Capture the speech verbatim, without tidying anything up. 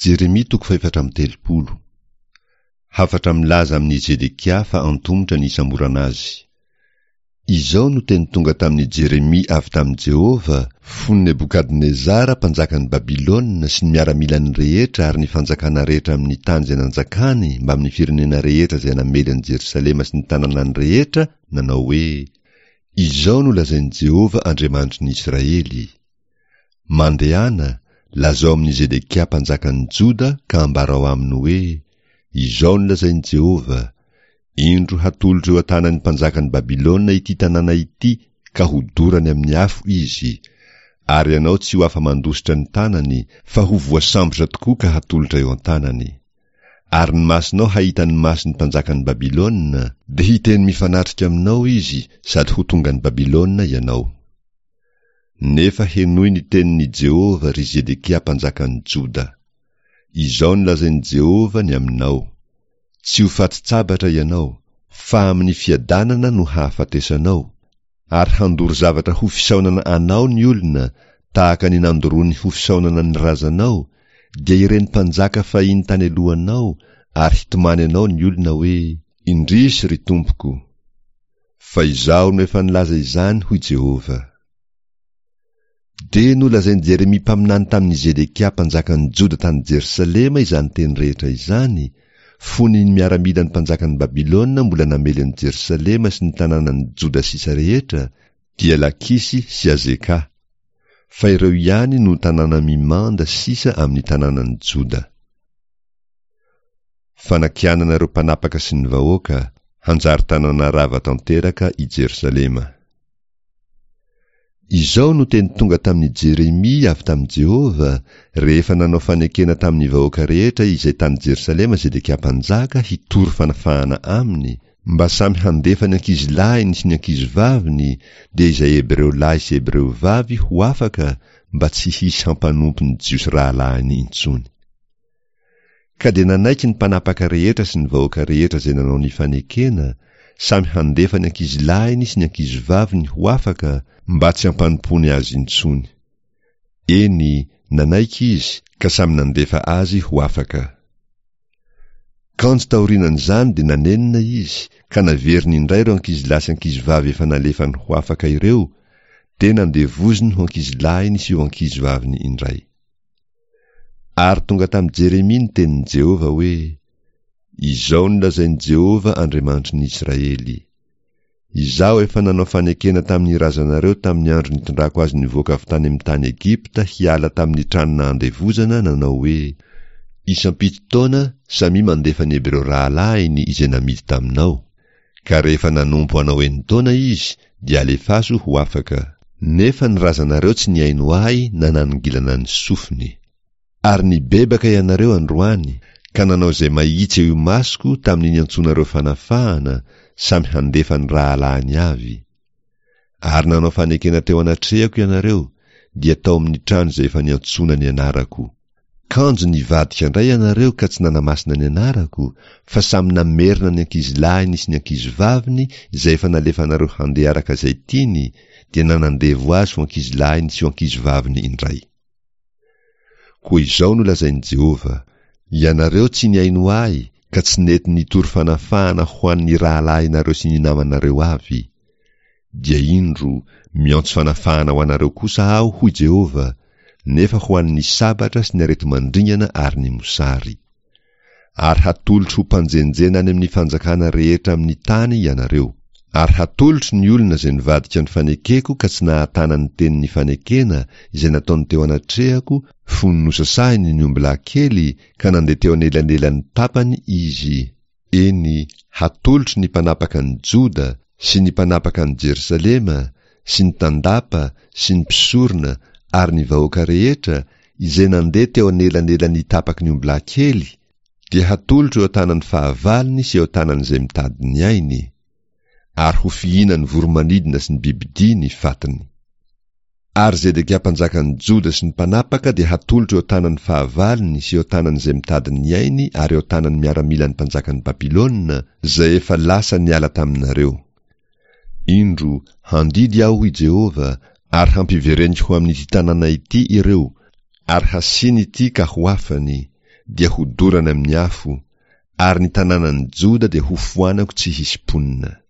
Jeremia toko fahefatra amby telopolo. Hafatra milaza amin'i Zedekia fa antomotra ny hisamborana azy. Izao no teny tonga tamin'i Jeremia avy tamin'i Jehovah, fony Nebokadnezara mpanjakan'i Babylona sy ny miaramilany rehetra ary ny fanjakana rehetra amin'ny tany izay nanjakany mbamin'ny firenena rehetra izay namely an'i Jerosalema sy ny tanànany rehetra, nanao hoe, Izao no lazain'i Jehovah Andriamanitry ny Israely, Mandehana, lazao amin'i Zedekia mpanjakan'ny Joda ka ambarao aminy hoe, Izao no lazain'i Jehovah, Indro hatolotro eo an-tanan'ny mpanjakan'i Babylona ity tanàna ity ka hodorany amin'ny afo izy, ary ianao tsy ho afa-mandositra ny tanany, fa ho voasambotra tokoa ka hatolotra eo an-tanany. Ary ny masonao hahita ny mason'ny mpanjakan'i Babylona, dia hiteny mifanatrika aminao izy sady ho tonga any Babylona ianao. Nefa henoy ny tenin'i Jehovah, ry Zedekia mpanjakan'i Joda. Izao no lazain'i Jehovah ny aminao, Tsy ho fatin-tsabatra ianao, fa amin'ny fiadanana no hahafatesanao, ary handoro zavatra ho fisaonana anao ny olona, tahaka ny nandoroany ho fisaonana ny razanao, dia ireny mpanjaka fahiny tany alohanao, ary hitomany anao ny olona hoe, Indrisy, ry tompoko! Fa Izaho no efa nilaza izany, hoy Jehovah. Dia nolazain'i Jeremia mpaminany tamin'i Zedekia mpanjakan'i Joda tany Jerosalema izany teny rehetra izany, fony ny miaramilan'ny mpanjakan'i Babylona mbola namely an'i Jerosalema sy ny tanànan'i Joda sisa rehetra, dia Lakisy sy Azeka. Fa ireo ihany no tanàna mimanda sisa amin'ny tanànan'i Joda. Fanakianana ireo mpanapaka sy ny vahoaka, hanjary tanàna rava tanteraka i Jerosalema. Izao no teny tonga tamin'i Jeremia avy tamin'i Jehovah, rehefa nanao fanekena tamin'ny vahoaka rehetra izay tany Jerosalema Zedekia mpanjaka hitory fanafahana aminy, mba samy handefa ny ankizilahiny sy ny ankizivaviny, dia izay Hebreo lahy sy Hebreo vavy ho afaka, mba tsy hisy hampanompo ny Jiosy rahalahiny intsony. Ka dia nanaiky ny mpanapaka rehetra sy ny vahoaka rehetra izay nanao ny fanekena, samy handefa ny ankizilahiny sy ny ankizivaviny ho afaka, mba tsy hampanompoany azy intsony. Eny, nanaiky izy, ka samy nandefa azy ho afaka. Kanjo taorianan'izany dia nanenina izy, ka naveriny indray ireo ankizilahy sy ankizivavy efa nalefany ho afaka ireo, dia nandevoziny ho ankizilahiny sy ho ankizivaviny indray. Ary tonga tamin'i Jeremia ny tenin'i Jehovah hoe, Izao no lazain'i Jehovah Andriamanitry ny Israely, Izaho efa nanao fanekena tamin'ny razanareo tamin'ny andro nitondrako azy nivoaka avy tany amin'ny tany Egypta hiala tamin'ny trano nahandevozana, nanao hoe, Isam-pito taona samia mandefa ny Hebreo rahalahiny izay namidy taminao. Ka rehefa nanompo anao enin-taona izy, dia alefaso ho afaka. Nefa ny razanareo tsy nihaino ahy na nanongilana ny sofiny. Ary nibebaka ianareo androany, ka nanao izay mahitsy eo imasoko tamin'ny niantsoanareo fanafahana, samy handefa ny rahalahiny avy. Ary nanao fanekena teo anatrehako ianareo, dia tao amin'ny trano izay efa niantsoana ny anarako. Kanjo nivadika indray ianareo ka tsy nanamasina ny anarako, fa samy namerina ny ankizilahiny sy ny ankizivaviny izay efa nalefanareo handeha araka izay tiany, dia nanandevo azy ho ankizilahiny sy ho ankizivaviny indray. Koa izao no lazain'i Jehovah, Ianareo tsy nihaino ahy ka tsy nety nitory fanafahana ho an'ny rahalahinareo sy ny namanareo avy. Dia indro, miantso fanafahana ho anareo kosa aho, hoy Jehovah, nefa ho an'ny sabatra sy ny areti-mandringana ary ny mosary. Ary hatolotro ho mpanjenjena any amin'ny fanjakana rehetra amin'ny tany ianareo. Ary hatolotro ny olona izay nivadika ny fanekeko ka tsy nahatana ny tenin'ny fanekena izay nataony teo anatrehako fony nosasahiny ny ombilahy kely ka nandeha teo anelanelan'ny tapany izy, eny, hatolotro ny mpanapaka an'i Joda sy ny mpanapaka an'i Jerosalema sy ny tandapa sy ny mpisorona ary ny vahoaka rehetra izay nandeha teo anelanelan'ny tapaky ny ombilahy kely, dia hatolotro eo an-tanan'ny fahavalony sy eo an-tanan'izay mitady ny ainy, ary ho fihinan'ny voro-manidina sy ny bibidia ny fatiny. Ary Zedekia mpanjakan'ny Joda sy ny mpanapaka dia hatolotro eo an-tanan'ny fahavalony sy eo an-tanan'izay mitady ny ainy ary eo an-tanan'ny miaramilan'ny mpanjakan'i Babylona, izay efa lasa niala taminareo. Indro, handidy Aho, hoy Jehovah, ary hampivereniko ho amin'ity tanàna ity ireo, ary hasiany ity ka ho afany, dia hodorana amin'ny afo, ary ny tanànan'i Joda dia hofoanako tsy hisy mponina.